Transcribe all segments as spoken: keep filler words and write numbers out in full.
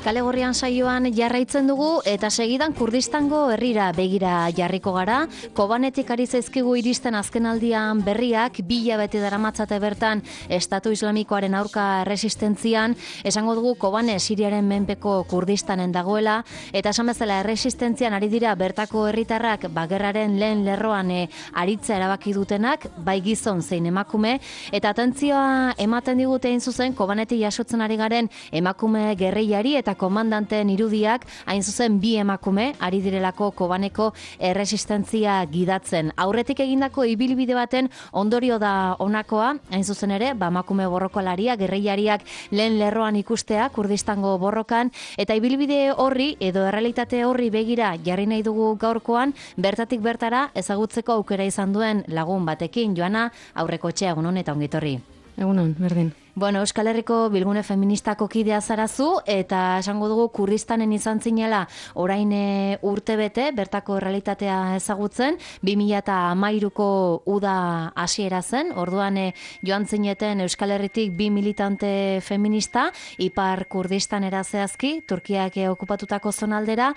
Kale Gorrian saioan jarraitzen dugu eta segidan Kurdistango herrira begira jarriko gara. Kobanetik ari zaizkigu iristen azkenaldian berriak, bi hilabete daramatzate bertan Estatu Islamikoaren aurka erresistentzian, esango dugu Kobane Siriaren menpeko Kurdistanen dagoela, eta esan bezala erresistentzian ari dira bertako herritarrak bagerraren lehen lerroan e, aritza erabaki dutenak, bai gizon zein emakume, eta atentzioa ematen digute hain zuzen Kobanetik jasotzen ari garen emakume gerrillari eta komandanteen irudiak, hain zuzen bi emakume ari direlako Kobaneko erresistentzia gidatzen. Aurretik egindako ibilbide baten ondorio da honakoa, hain zuzen ere, ba emakume borrokalaria, gerrillariak lehen lerroan ikustea Kurdistango borrokan, eta ibilbide horri edo errealitate horri begira jarri nahi dugu gaurkoan, bertatik bertara ezagutzeko aukera izan duen lagun batekin. Joana, aurreko txea, egunon eta ongitorri. Egunon, berdin. Bueno, Euskal Herriko Bilgune Feministako kidea zarazu, eta esango dugu Kurdistanen izan zinela orain e, urte bete, bertako realitatea ezagutzen, bi mila hamairuko uda hasiera zen, orduan e, joan zineten Euskal Herritik bi militante feminista, Ipar Kurdistanera zehazki, Turkiak e, okupatutako zonaldera,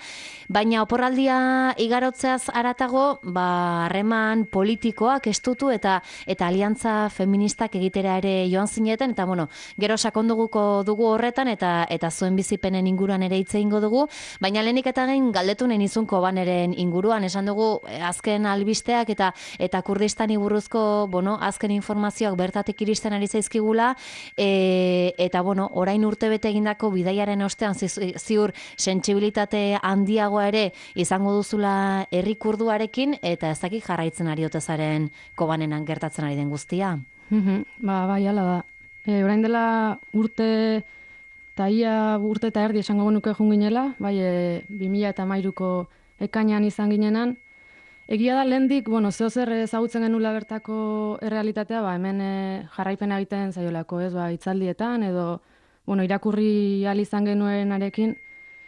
baina oporraldia igarotzeaz haratago, ba, harreman politikoak estutu eta eta aliantza feministak egitera ere joan zineten, eta bueno, gero sakonduguko dugu horretan eta eta zuen bizipenen inguruan ere hitz egingo dugu, baina lehenik eta gain galdetu nahi nizun Kobaneren inguruan, esan dugu azken albisteak eta eta Kurdistani buruzko, bueno, azken informazioak bertatik iristen ari zaizkigula, e, eta bueno, orain urtebete egindako bidaiaren ostean ziur sentsibilitate handiagoa ere izango duzula herri kurduarekin, eta ez dakit jarraitzen ari otezaren Kobanenan gertatzen ari den guztia. Mhm, ba, bai, hala da. E, orain dela urte eta ia urte eta erdi esango genuke jun ginela, bai, e, bi mila hamairuko ekainean izan ginenan. Egia da lehendik, bueno, zeo zer ezagutzen genula bertako errealitatea, ba, hemen e, jarraipena egiten zaiolako, ez, ba, hitzaldietan edo, bueno, irakurri ahal izan genuenarekin.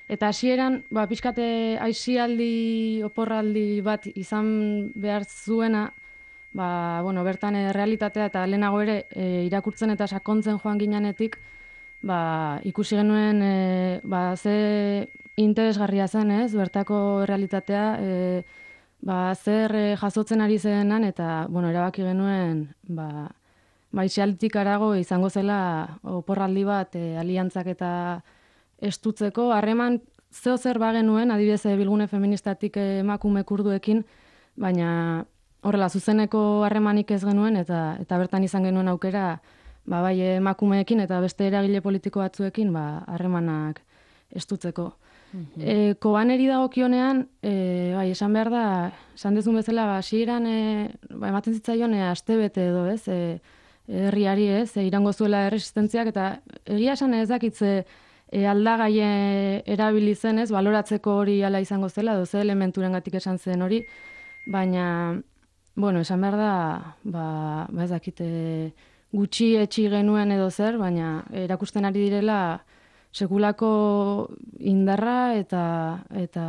Eta hasieran, ba, pixkate aisialdi, oporraldi bat izan behar zuena, ba, bueno, bertan e, realitatea eta lehenago ere e, irakurtzen eta sakontzen joan ginenetik, ba, ikusi genuen e, ba, ze interesgarria zen, ez, bertako realitatea, e, ba, zer e, jasotzen ari zenan, eta, bueno, erabaki genuen, ba, ba, isialditik arago izango zela oporraldi bat e, aliantzak eta estutzeko, harreman zeo zer bagenuen, adibidez Bilgune Feministatik e, emakume kurduekin, baina horrela, zuzeneko harremanik ez genuen, eta eta bertan izan genuen aukera, ba, bai emakumeekin eta beste eragile politiko batzuekin, ba, harremanak estutzeko. Mm-hmm. E, Kobaneri dagokionean, e, bai, esan behar da, esan dezun bezala, ba, hasieran e, ba, ematen zitzaion e, astebete edo, ez, e, herriari, ez, e, irango zuela erresistentziak, eta egia esan ez dakitze e, aldagai erabili zen, ez, baloratzeko hori ala izango zela, edo ze elementurengatik esan zen hori, baina bueno, esan behar da, ba, ba ez dakite gutxi etxi genuen edo zer, baina erakusten ari direla sekulako indarra eta eta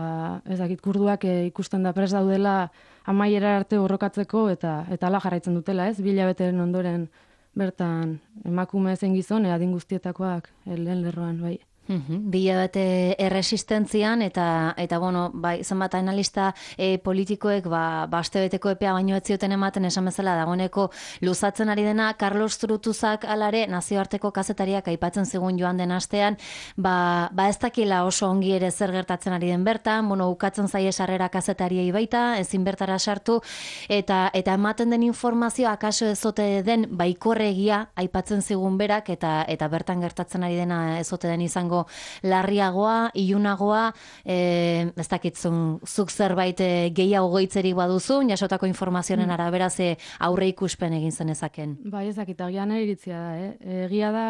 ez dakit kurduak e, ikusten da prest daudela amaiera arte borrokatzeko eta eta hala jarraitzen dutela, ez? Bi hilabeteren ondoren bertan emakume zein gizon adin guztietakoak lehen lerroan, bai. Uhum, Bila bete erresistentzian eta eta bueno, bai, zenbat analista e, politikoek ba astebeteko epea baino ez zioten ematen, esan bezala dagoeneko luzatzen ari dena. Carlos Zurutuzak alare nazioarteko kazetariak aipatzen zigun joan den astean, ba, ba ez dakila oso ongi ere zer gertatzen ari den bertan, bueno, ukatzen zaie sarrera kazetariei baita, ezin bertara sartu, eta eta ematen den informazioa akaso ezote den baikorregia aipatzen zigun berak, eta eta bertan gertatzen ari dena ezote den izango larriagoa, ilunagoa, e, ez dakitzun zuk zerbait e, gehiago goitzerik baduzu, jasotako informazioen mm. arabera ze aurre ikuspen egin zenezaken. Bai, ez dakit, agian iritzia da, eh? Egia da,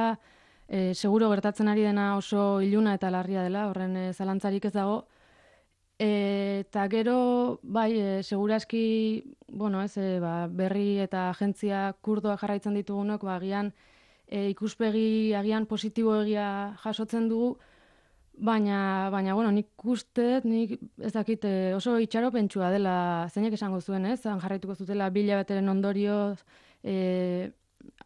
e, seguro gertatzen ari dena oso iluna eta larria dela, horren e, zalantzarik ez dago, e, eta gero, bai, e, seguraski, bueno, ez, e, ba, berri eta agentzia kurdoa jarraitzen ditugunok, ba, agian, E, ikuspegi agian positibo egia jasotzen dugu, baina, baina bueno, nik uste, nik ez dakit oso itxaropentsua dela, zeinek esango zuen, ez? Han jarraituko zutela bi hilabeteren ondorioz, e,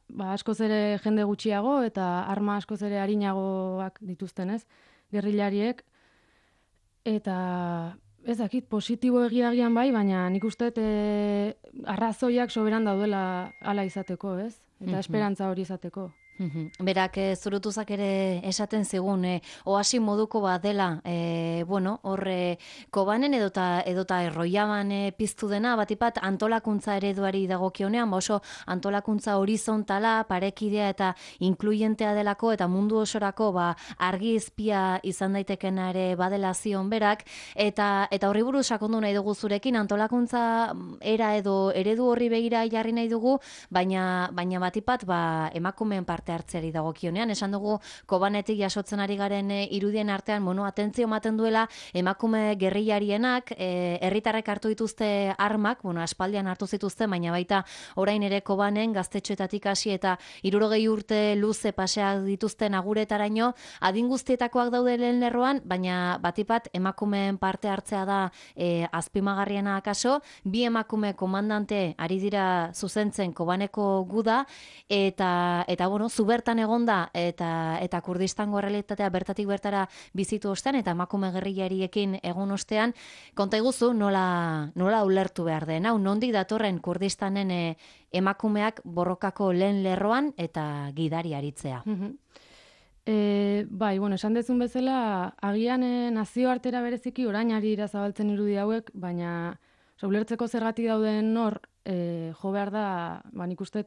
ba, askoz ere jende gutxiago eta arma askoz ere arinagoak dituzten, ez? gerrilariek, eta ez dakit, positibo egiagian bai, baina nik uste e, arrazoiak soberan daudela hala izateko, ez? Eta esperantza hori izateko. Berak, e, zurutuzak ere esaten zigun, e, oasi moduko bat dela, e, bueno, horre kobanen edota, edota erroiaban e, piztu dena, batipat antolakuntza ereduari dagokionean, ba oso antolakuntza horizontala, parekidea eta inkluyentea delako, eta mundu osorako ba, argi izpia izan daitekena ere badela zion berak, eta, eta horri buruz sakondu nahi dugu zurekin, antolakuntza era edo eredu horri begira jarri nahi dugu, baina, baina batipat ba, emakumeen parte hartzeari dagokionean. Esan dugu kobanetik jasotzen ari garen e, irudien artean, mono, atentzio ematen duela emakume gerrillarienak, e, herritarrek hartu dituzte armak, bueno, aspaldian hartu zituzte, baina baita orain ere kobanen gaztetxoetatik hasi eta hirurogei urte luze paseak dituzten aguretaraino, adin guztietakoak daude lehen lerroan, baina batipat emakumeen parte hartzea da e, azpimagarriena akaso, bi emakume komandante ari dira zuzentzen kobaneko guda, eta, eta bueno, zu bertan egonda eta eta Kurdistango errealitatea bertatik bertara bizitu ostean eta emakume gerrillariekin egun ostean, konta iguzu nola, nola ulertu behar den. Hau, nondik datorren Kurdistanen e, emakumeak borrokako lehen lerroan eta gidari aritzea. E, bai, bueno, esan dezun bezala, agian e, nazioartera bereziki orain ari dira zabaltzen irudi hauek, baina oza, ulertzeko zergatik dauden hor, e, jo behar da, ba, nik uste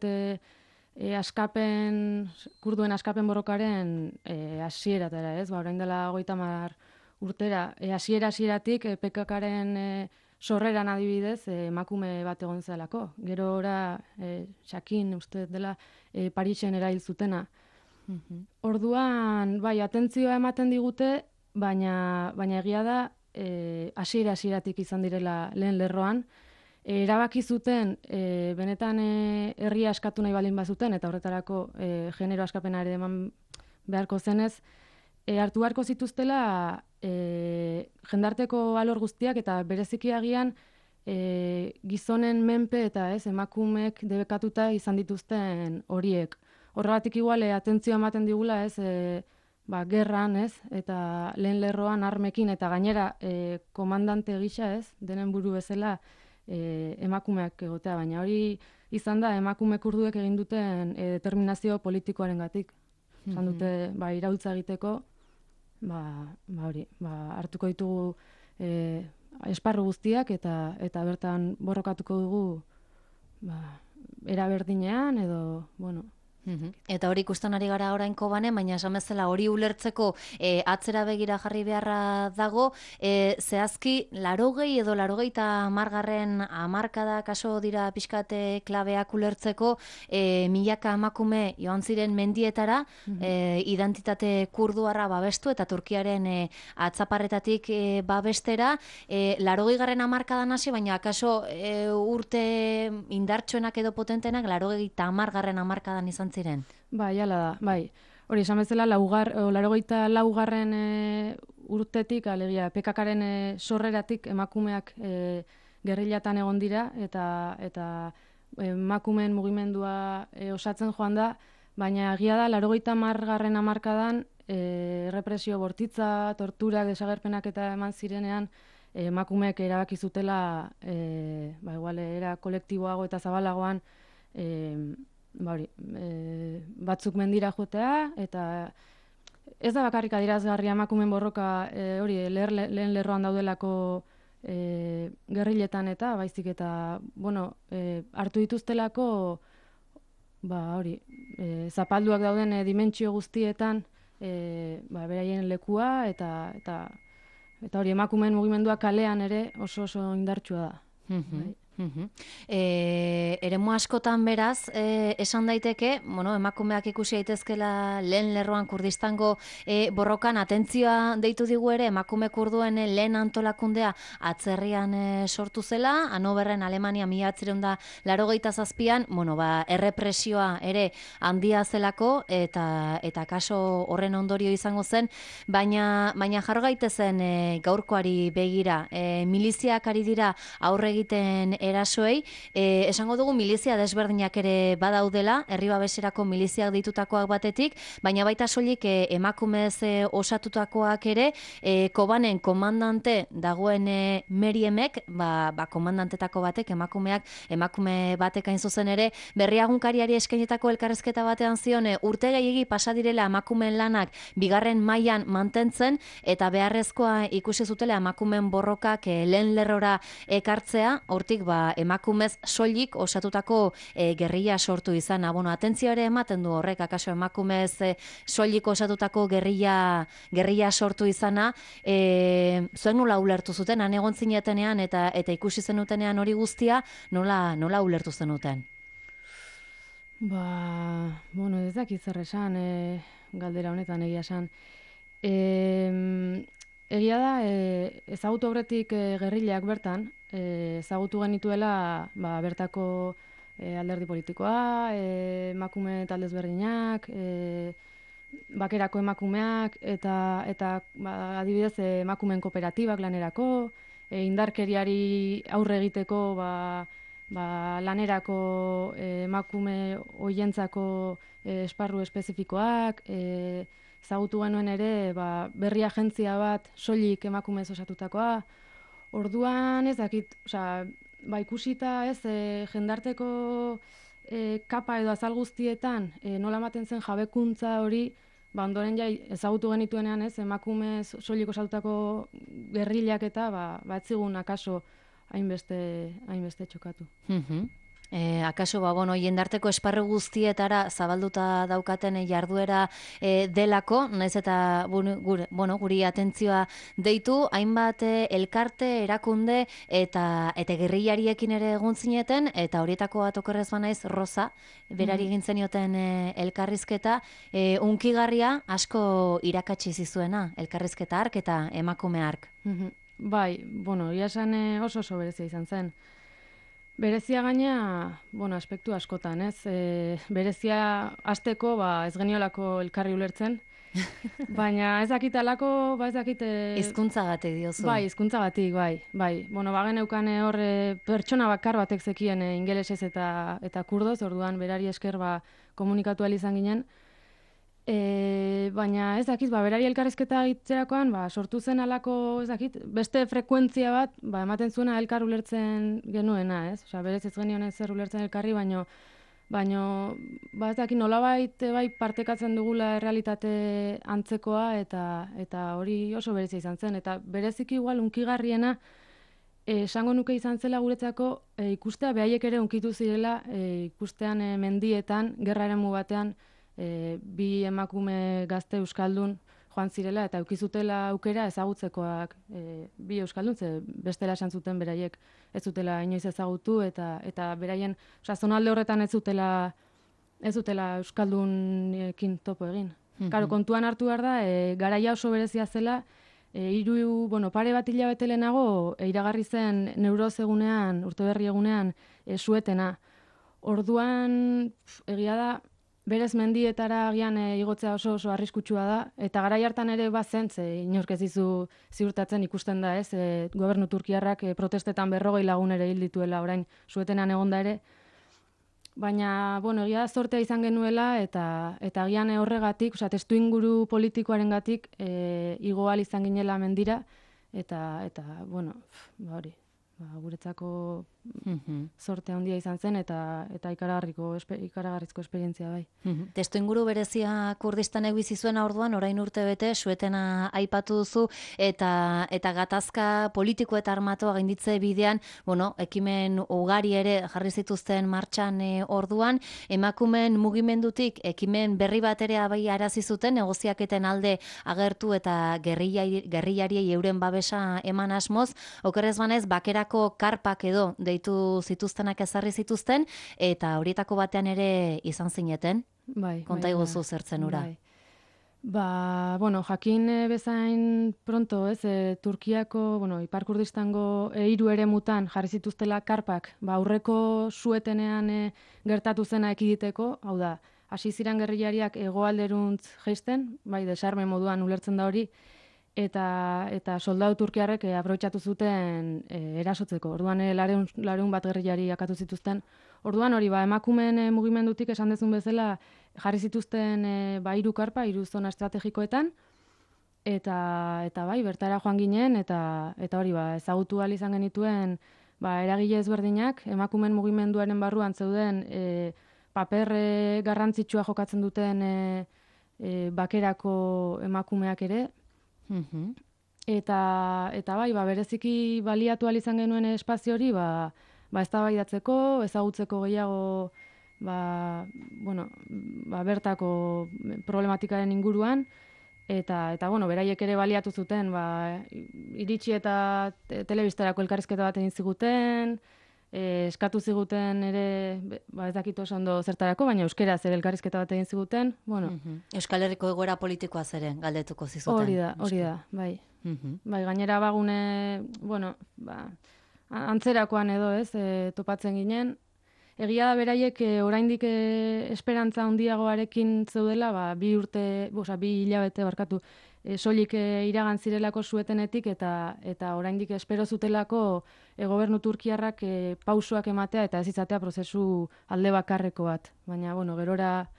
E, askapen, kurduen askapen borrokaren e, hasieratara, ez? Ba, orain dela hogeita hamar urtera, e, hasiera hasieratik e, P K K-ren e, sorreran adibidez, e, emakume bat egon zelako. Gero ora, e, Xakin, uste dela, e, Parisen erail zutena. Orduan, bai, atentzioa ematen digute, baina, baina egia da, e, hasiera hasieratik izan direla lehen lerroan, E, erabaki zuten, e, benetan e, herria askatu nahi balin bazuten, eta horretarako e, genero askapena ere eman beharko zenez, e, hartu beharko zituztela e, jendarteko alor guztiak, eta bereziki agian e, gizonen menpe eta ez emakumeek debekatuta izan dituzten horiek. Horregatik igual, e, atentzioa ematen digula, ez, e, ba, gerran, ez, eta lehen lerroan armekin, eta gainera e, komandante gisa, ez, denen buru bezala, E, emakumeak egotea, baina hori izan da emakume kurduek egin duten e, determinazio politikoaren gatik. Zan dute, ba, iraultza egiteko, ba, ba hori, ba, hartuko ditugu e, esparru guztiak eta eta bertan borrokatuko dugu ba, era berdinean edo, bueno, eta hori ikusten ari gara orain kobanen, baina esan bezala hori ulertzeko e, atzera begira jarri beharra dago, e, zehazki larogei edo larogeita hamargarren hamarkada kaso dira pixkate klabeak ulertzeko, e, milaka emakume joan ziren mendietara, e, identitate kurduarra babestu eta Turkiaren e, atzaparretatik e, babestera, e, larogei garren hamarkadan hasi, baina akaso e, urte indartsuenak edo potentenak larogeita hamargarren hamarkadan izan ziren. Bai, hala da, bai. Hori, esan bezala, laugar, o, larogeita laugarren e, urtetik, alegia, P K K-ren e, sorreratik emakumeak e, gerrilatan egon dira, eta eta emakumeen mugimendua e, osatzen joan da, baina egia da, larogeita hamargarren hamarkadan e, represio bortitza, torturak, desagerpenak eta eman zirenean, e, emakumeek erabaki zutela, e, ba, igual, era kolektiboago eta zabalagoan, e, ba hori, e, batzuk mendira jotea, eta ez da bakarrik adierazgarria emakumeen borroka e, hori leher, lehen lerroan daudelako e, gerriletan eta baizik eta bueno, e, hartu dituztelako ba hori, e, zapalduak dauden e, dimentsio guztietan e, ba, beraien lekua eta eta eta hori emakumeen mugimendua kalean ere oso oso indartsua da. Bai. Uh-huh. E, eremu askotan beraz, e, esan daiteke, bueno, emakumeak ikusi daitezkela lehen lerroan Kurdistango e, borrokan atentzioa deitu digu ere, emakume kurduen e, lehen antolakundea atzerrian e, sortu zela, Hanoverren Alemania mila bederatziehun eta laurogeita zazpian, bueno, ba, errepresioa ere handia zelako, eta eta kaso horren ondorio izango zen, baina, baina jarro gaitezen e, gaurkoari begira, e, miliziak ari dira aurre egiten erasoei, e, esango dugu milizia desberdinak ere badaudela, herri babeserako miliziak ditutakoak batetik, baina baita soilik e, emakumez e, osatutakoak ere, e, Kobanen komandante dagoen e, Meriemek, ba, ba komandantetako batek, emakumeak, emakume batek hain zuzen ere, berriagunkariari eskainetako elkarrezketa batean zion, e, urte gehiegi pasa direla emakumeen lanak bigarren mailan mantentzen, eta beharrezkoa ikusi zutela emakumeen borrokak e, lehen lerrora ekartzea, hortik ba, emakumez soilik osatutako e, gerrilla sortu izana. Bueno, atentzio ere ematen du horrek, akaso emakumez e, soilik osatutako gerrilla, gerrilla sortu izana, e, zuen nola ulertu zuten, han egon zinetenean eta eta ikusi zenutenean hori guztia, nola, nola ulertu zenuten? Ba, bueno, ez dakit zer esan, e, galdera honetan egia esan. E, egia da, e, ezagutu aurretik e, gerrillak bertan, e, ezagutu genituela ba, bertako e, alderdi politikoa, e, emakume taldez berdinak, e, bakerako emakumeak, eta, eta ba, adibidez e, emakumeen kooperatibak lanerako, e, indarkeriari aurre egiteko ba, ba, lanerako e, emakume hoientzako e, esparru espezifikoak, e, ezagutu genuen ere ba, berri agentzia bat soilik emakumez osatutakoa. Orduan ez dakit, osea, ba, ikusita ez e, jendarteko e, kapa edo azal guztietan e, nola ematen zen jabekuntza hori, ba, ondoren ja ezagutu genituenean ez emakumez soilik osatutako gerrillak eta ba, ba etzigun akaso hainbeste hainbeste txokatu. Mhm. E, akaso, ba, bueno, jendarteko esparru guztietara zabalduta daukaten e, jarduera e, delako, naiz eta bueno, gure, bueno, guri atentzioa deitu, hainbat e, elkarte, erakunde eta eta gerrillariekin ere egon zineten, eta horietako bat okerrez banaiz Rosa, berari egin zenioten e, elkarrizketa, e, unkigarria asko irakatsi zizuena, elkarrizketa hark eta emakume hark. Mhm. Bai, bueno, ia esan e, oso oso berezia izan zen. Berezia gaina, bueno, aspektu askotan, ez? E, berezia hasteko, ba, ez geniolako elkarri ulertzen, baina ez dakit alako, ba ez dakit... Hizkuntzagatik diozu. Bai, hizkuntzagatik, bai, bai. Bueno, bageneukan hor e, pertsona bakar batek zekien e, ingelesez eta, eta kurdoz, orduan berari esker ba, komunikatu ahal izan ginen. E, baina ez dakit, ba, berari elkarrezketa egiterakoan, ba, sortu zen alako, ez dakit, beste frekuentzia bat, ba, ematen zuena elkar ulertzen genuena, ez? Osea, berez ez genion ez zer ulertzen elkarri, baino, baino, ba, ez dakit, nolabait bai partekatzen dugula errealitate antzekoa, eta eta hori oso berezia izan zen, eta bereziki igual unkigarriena, e, esango nuke izan zela guretzako, e, ikustea behaiek ere unkitu zirela, e, ikustean e, mendietan, gerra eremu batean, E, bi emakume gazte euskaldun joan zirela eta eukizutela aukera ezagutzekoak e, bi euskaldun, ze bestela esan zuten beraiek ez zutela inoiz ezagutu eta eta beraien, osea, zonalde horretan ez zutela ez zutela euskaldunekin topo egin. Mm -hmm. Karo, kontuan hartu behar da, e, garaia oso berezia zela, e, hiru, bueno, pare bat hilabete lehenago e, iragarri zen neuroz egunean, urteberri egunean, e, suetena. Orduan, pf, egia da, berez mendietara agian e, igotzea oso oso arriskutsua da, eta garai hartan ere bazen, ze inork ez dizu ziurtatzen ikusten da, ez, e, gobernu turkiarrak e, protestetan berrogei lagun ere hil dituela orain suetenan egonda ere, baina, bueno, egia zortea izan genuela, eta eta agian horregatik, osea, testu inguru politikoarengatik e, igo ahal izan ginela mendira, eta, eta bueno, ba hori, ba, guretzako zorte handia izan zen, eta eta ikaragarriko ikaragarrizko esperientzia bai. Testu inguru berezia Kurdistanek bizi zuena orduan, orain urte bete, suetena aipatu duzu, eta eta gatazka politiko eta armatua gainditze bidean, bueno, ekimen ugari ere jarri zituzten martxan e, orduan, emakumeen mugimendutik ekimen berri bat ere abai arazi zuten, negoziaketen alde agertu eta gerrillariei euren babesa eman asmoz, okerrez banez, bakerako karpak edo deitu zituztenak ezarri zituzten, eta horietako batean ere izan zineten. Bai, konta bai, iguzu zertzen ura. Bai. Ba, bueno, jakin e, bezain pronto, ez, e, Turkiako, bueno, Ipar Kurdistango e, hiru eremutan jarri zituztela karpak, ba, aurreko suetenean e, gertatu zena ekiditeko, hau da, hasi ziren gerrillariak hegoalderuntz jaisten, bai, desarme moduan ulertzen da hori, eta eta soldadu turkiarrek e, aprobetxatu zuten e, erasotzeko. Orduan e, lareun, lareun bat gerrillari akatu zituzten. Orduan hori ba emakumeen e, mugimendutik esan dezun bezala jarri zituzten e, ba hiru karpa, hiru zona estrategikoetan eta eta bai bertara joan ginen eta eta hori ba ezagutu ahal izan genituen ba eragile ezberdinak emakumeen mugimenduaren barruan zeuden e, paper e, garrantzitsua jokatzen duten e, e, bakerako emakumeak ere. Mhm. Eta eta bai, ba bereziki baliatu ahal izan genuen espazio hori, ba ba eztabaidatzeko, ezagutzeko gehiago ba, bueno, ba bertako problematikaren inguruan eta eta bueno, beraiek ere baliatu zuten, ba iritsi eta te, telebistarako elkarrizketa bat egin ziguten, e, eskatu ziguten ere, ba ez dakit oso ondo zertarako, baina euskeraz ere elkarrizketa bat egin ziguten, bueno. Mhm. Euskal Herriko egoera politikoa zeren galdetuko zizuten. Hori da, hori da, bai. Mhm. Bai, gainera bagune, bueno, ba, antzerakoan edo, ez, e, topatzen ginen. Egia da beraiek e, oraindik e, esperantza handiagoarekin zeudela, ba, bi urte, osea, bi hilabete barkatu, e, soilik e, iragan zirelako suetenetik eta eta oraindik espero zutelako e, gobernu turkiarrak e, pausoak ematea eta ez izatea prozesu alde bakarreko bat. Baina, bueno, gerora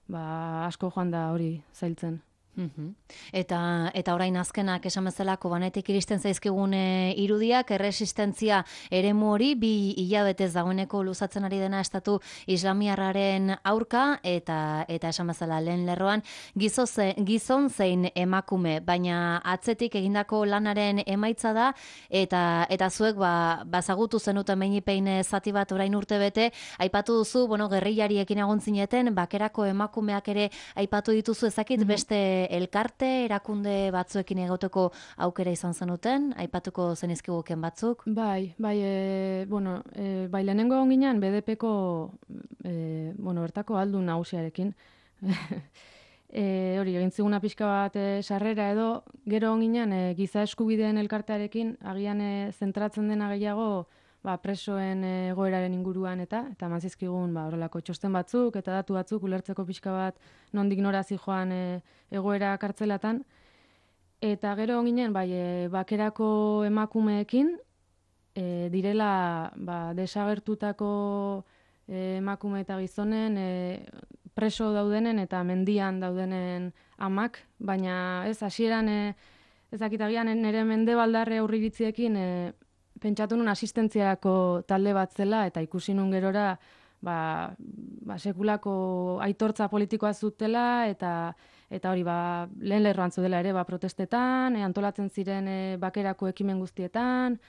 ba, asko joan da hori zailtzen. Mhm. Eta eta orain azkenak esan bezala Kobanetik iristen zaizkigun e, irudiak erresistentzia eremu hori bi hilabetez dagoeneko luzatzen ari dena estatu islamiarraren aurka eta eta esan bezala lehen lerroan gizoze, gizon zein emakume, baina atzetik egindako lanaren emaitza da eta eta zuek ba bazagutu zenuten beinipein zati bat orain urtebete aipatu duzu, bueno, gerrillariekin egon zineten, bakerako emakumeak ere aipatu dituzu, ezakit beste elkarte, erakunde batzuekin egoteko aukera izan zenuten, aipatuko zenizkiguken batzuk? Bai, bai, e, bueno, e, bai lehenengo onginan B D Pko, e, bueno, bertako aldun nagusiarekin. e, hori, egin ziguna pixka bat e, sarrera edo, gero onginan e, giza eskubideen elkartearekin, agian e, zentratzen dena gehiago, ba, presoen egoeraren inguruan eta eta eman zizkigun ba, horrelako txosten batzuk eta datu batzuk ulertzeko pixka bat nondik nora zijoan e, egoera kartzelatan. Eta gero ginen bai, e, bakerako emakumeekin e, direla ba, desagertutako e, emakume eta gizonen e, preso daudenen eta mendian daudenen amak, baina ez hasieran e, ezakitagian nire mendebaldarre aurriritziekin e, pentsatu nun asistentziarako talde bat zela eta ikusi nun gerora ba, ba sekulako aitortza politikoa zutela eta eta hori ba lehen lerroan zudela ere ba protestetan, e, antolatzen ziren e, bakerako ekimen guztietan,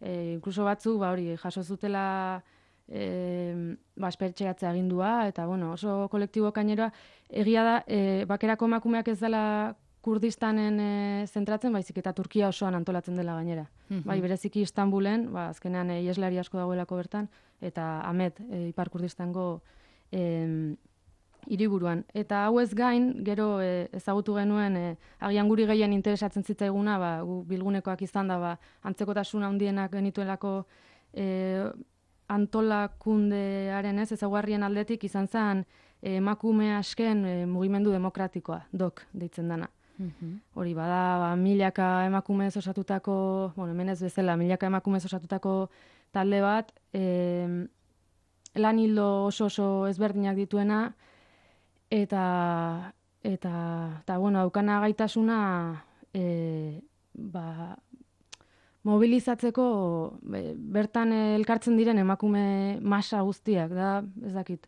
e, inkluso batzu ba hori jaso zutela e, ba espertxeatzea agindua eta bueno, oso kolektibo kaineroa egia da e, bakerako emakumeak ez dela Kurdistanen e, zentratzen, baizik eta Turkia osoan antolatzen dela gainera. Mm-hmm. Bai, bereziki Istanbulen, ba, azkenean e, ieslari asko dagoelako bertan, eta Ahmet, e, Ipar Kurdistango e, hiriburuan. Eta hau ez gain, gero e, ezagutu genuen, e, agian guri gehien interesatzen zitzaiguna, ba, gu bilgunekoak izan da, ba, antzekotasun handienak genituelako e, antolakundearen ez, ezaguarrien aldetik izan zen e, emakume asken e, mugimendu demokratikoa, dok, deitzen dana. Mm-hmm. Hori bada, ba, milaka emakumez osatutako, bueno, hemen ez bezala, milaka emakumez osatutako talde bat, e, lan hildo oso oso ezberdinak dituena, eta, eta, eta bueno, aukana gaitasuna e, ba, mobilizatzeko be, bertan elkartzen diren emakume masa guztiak, da, ez dakit.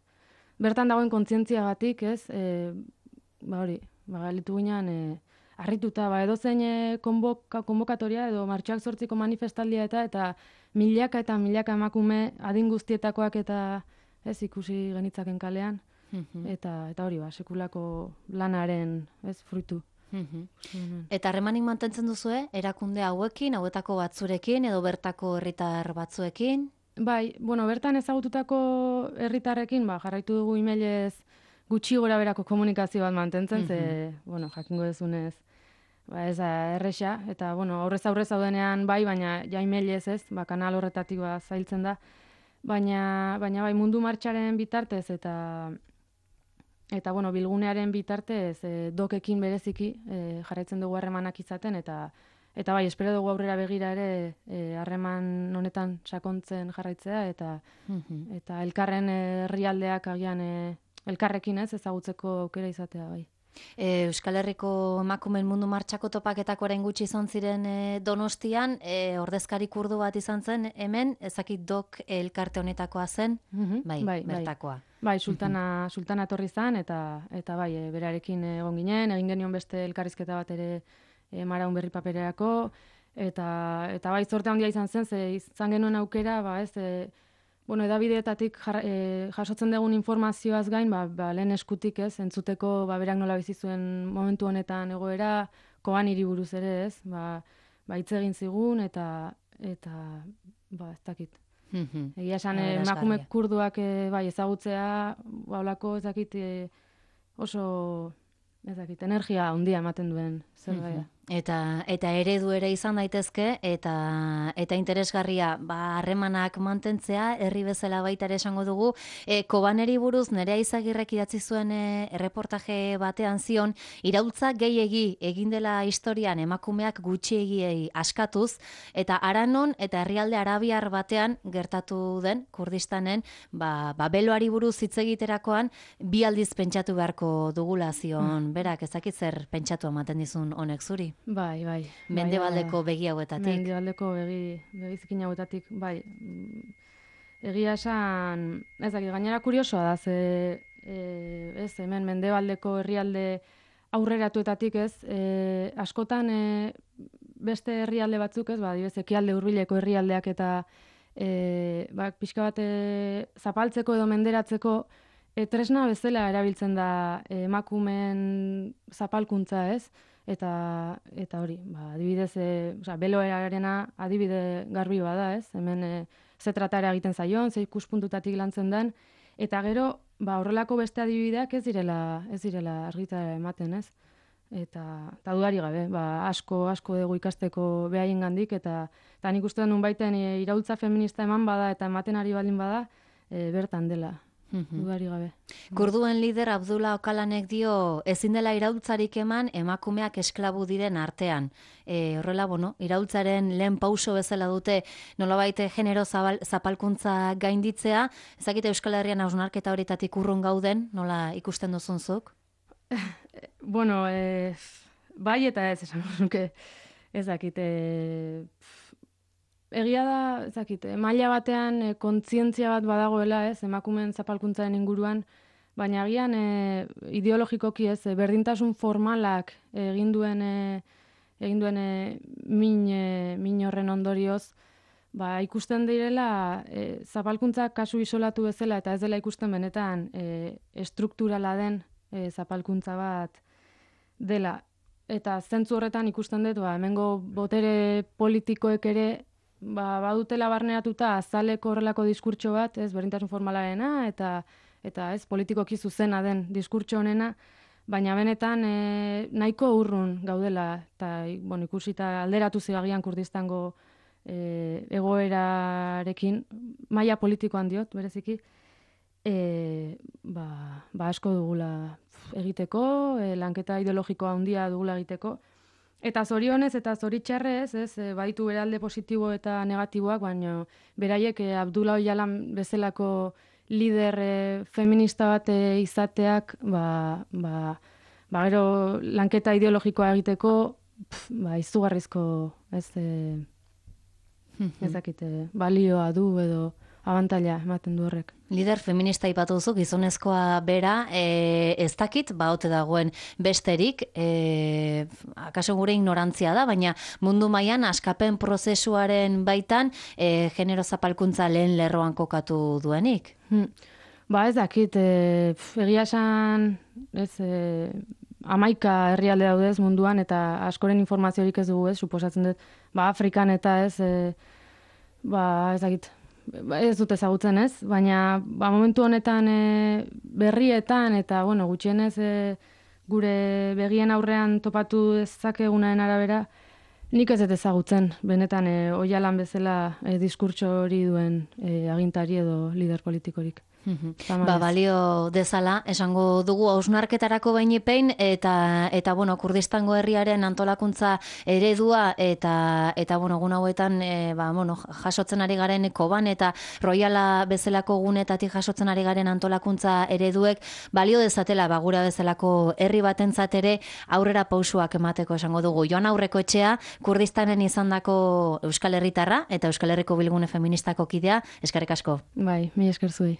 Bertan dagoen kontzientziagatik, ez, e, ba hori, ba, galitu ginean, e, harrituta, ba, edo zein e, konboka, konbokatoria edo martxoak zortziko manifestaldia eta eta milaka eta milaka emakume adin guztietakoak eta ez ikusi genitzaken kalean, mm-hmm. eta eta hori ba, sekulako lanaren ez fruitu. Mm-hmm. Eta harremanik mantentzen duzue, erakunde hauekin, hauetako batzurekin edo bertako herritar batzuekin? Bai, bueno, bertan ezagututako herritarrekin, ba, jarraitu dugu emailez gutxi gora berako komunikazio bat mantentzen, mm-hmm. ze, bueno, jakingo dezunez, ba, ez da, erresa, eta, bueno, aurrez aurrez zaudenean bai, baina ja emailez ez, ba, kanal horretatik ba, zailtzen da, baina, baina bai, mundu martxaren bitartez, eta eta bueno, bilgunearen bitartez e, dokekin bereziki e, jarraitzen dugu harremanak izaten, eta eta bai, espero dugu aurrera begira ere harreman e, honetan sakontzen jarraitzea, eta Mhm. eta elkarren herrialdeak agian e, elkarrekin ez ezagutzeko aukera izatea bai. E, Euskal Herriko emakumeen mundu martxako topaketako orain gutxi izan ziren e, Donostian, e, ordezkari kurdu bat izan zen hemen, ezakit dok elkarte honetakoa zen, Mhm, bai, bai, bai. bertakoa. Bai, sultana, sultana etorri zan, eta, eta bai, e, berarekin egon ginen, egin genion beste elkarrizketa bat ere e, Maraun berri papererako, eta, eta bai, zorte handia izan zen, ze izan genuen aukera, ba ez, e, bueno, edabideetatik jar, e, jasotzen dugun informazioaz gain, ba, ba, lehen eskutik ez, entzuteko ba, berak nola bizi zuen momentu honetan egoera, koan hiri buruz ere ez, ba, ba hitz egin zigun, eta, eta ba, ez dakit. Mhm. Egia esan, Aberasgarria. emakume kurduak e, bai, ezagutzea, ba, holako ez dakit e, oso, ez dakit, energia handia ematen duen zerbait. Mhm. Eta eta eredu ere izan daitezke, eta eta interesgarria, ba harremanak mantentzea, herri bezala baita ere esango dugu. E, Kobaneri buruz Nerea Izagirrek idatzi zuen e, erreportaje batean zion, iraultza gehiegi egin dela historian emakumeak gutxiegiei askatuz, eta Aranon eta herrialde arabiar batean gertatu den Kurdistanen, ba, ba beloari buruz hitz egiterakoan bi aldiz pentsatu beharko dugula zion. Berak ezakit zer pentsatu ematen dizun honek zuri. Bai, bai. Mendebaldeko begi hauetatik. Mendebaldeko begi, begizikin hauetatik, bai. Egia esan, ez dakit, gainera kuriosoa da, ze, e, ez, hemen mendebaldeko herrialde aurreratuetatik ez, e, askotan e, beste herrialde batzuk ez, ba, dibez, ekialde hurbileko herrialdeak eta e, ba, pixka bat e, zapaltzeko edo menderatzeko e, tresna bezala erabiltzen da e, emakumen zapalkuntza ez, eta eta hori, ba, adibidez, e, osea, beloarena adibide garbi bada, ez? Hemen e, ze tratara egiten zaion, ze ikuspuntutatik lantzen den, eta gero, ba, horrelako beste adibideak ez direla, ez direla argitara ematen, ez? Eta, eta dudari gabe, ba, asko, asko dugu ikasteko behaiengandik, eta, eta nik uste den baiten e, iraultza feminista eman bada, eta ematen ari baldin bada, e, bertan dela. Dudari gabe. Kurduen lider Abdullah Okalanek dio ezin dela iraultzarik eman emakumeak esklabu diren artean. E, horrela, bueno, iraultzaren lehen pauso bezala dute nolabait genero zabal, zapalkuntza gainditzea. Ezakite Euskal Herrian hausnarketa horitatik urrun gauden, nola ikusten duzunzuk? Bueno, e, bai eta ez esan nuke, ez dakite... Egia da, ez dakit, maila batean e, kontzientzia bat badagoela, ez, emakumeen zapalkuntzaren inguruan, baina agian e, ideologikoki ez, berdintasun formalak egin duen e, egin duen e, min, e, min horren ondorioz, ba, ikusten direla e, zapalkuntza kasu isolatu bezala eta ez dela ikusten benetan e, estrukturala den e, zapalkuntza bat dela. Eta zentzu horretan ikusten dut, ba, hemengo botere politikoek ere ba, badutela barneratuta azaleko horrelako diskurtso bat, ez, berdintasun formalarena, eta eta ez politikoki zuzena den diskurtso honena, baina benetan e, nahiko urrun gaudela, eta bueno, ikusita alderatu zigagian Kurdistango e, egoerarekin, maila politikoan diot, bereziki, e, ba, ba asko dugula egiteko, e, lanketa ideologikoa handia dugula egiteko, eta zorionez eta zoritxarrez, ez, baitu beralde positibo eta negatiboak, baina beraiek e, Abdullah Öcalan bezalako lider e, feminista bat e, izateak, ba, ba, ba gero lanketa ideologikoa egiteko, pf, ba, izugarrizko, ez, e, ez dakite, balioa du edo abantaila ematen du horrek. Lider feminista ipatu duzu, gizonezkoa bera, e, ez dakit, ba, ote dagoen besterik, e, akaso gure ignorantzia da, baina mundu mailan askapen prozesuaren baitan e, genero zapalkuntza lehen lerroan kokatu duenik. Hmm. Ba ez dakit, e, egia esan, ez, e, amaika herrialde daudez munduan, eta askoren informaziorik ez dugu ez, suposatzen dut, ba Afrikan eta ez, e, ba ez dakit, ez dut ezagutzen ez, baina ba, momentu honetan e, berrietan eta bueno, gutxienez e, gure begien aurrean topatu dezakegunaren arabera, nik ez dut ezagutzen, benetan e, Öcalan bezala e, diskurtso hori duen e, agintari edo lider politikorik. Ba, balio dezala, esango dugu hausnarketarako bainipein, eta, eta bueno, Kurdistango herriaren antolakuntza eredua, eta, eta bueno, egun hauetan, e, ba, bueno, jasotzen ari garen Koban, eta Royala bezalako gunetatik jasotzen ari garen antolakuntza ereduek, balio dezatela, ba, gura bezalako herri batentzat ere aurrera pausuak emateko esango dugu. Joan Aurreko etxea, Kurdistanen izandako Euskal Herritarra, eta Euskal Herriko Bilgune Feministako kidea, eskerrik asko. Bai, mi esker zuei.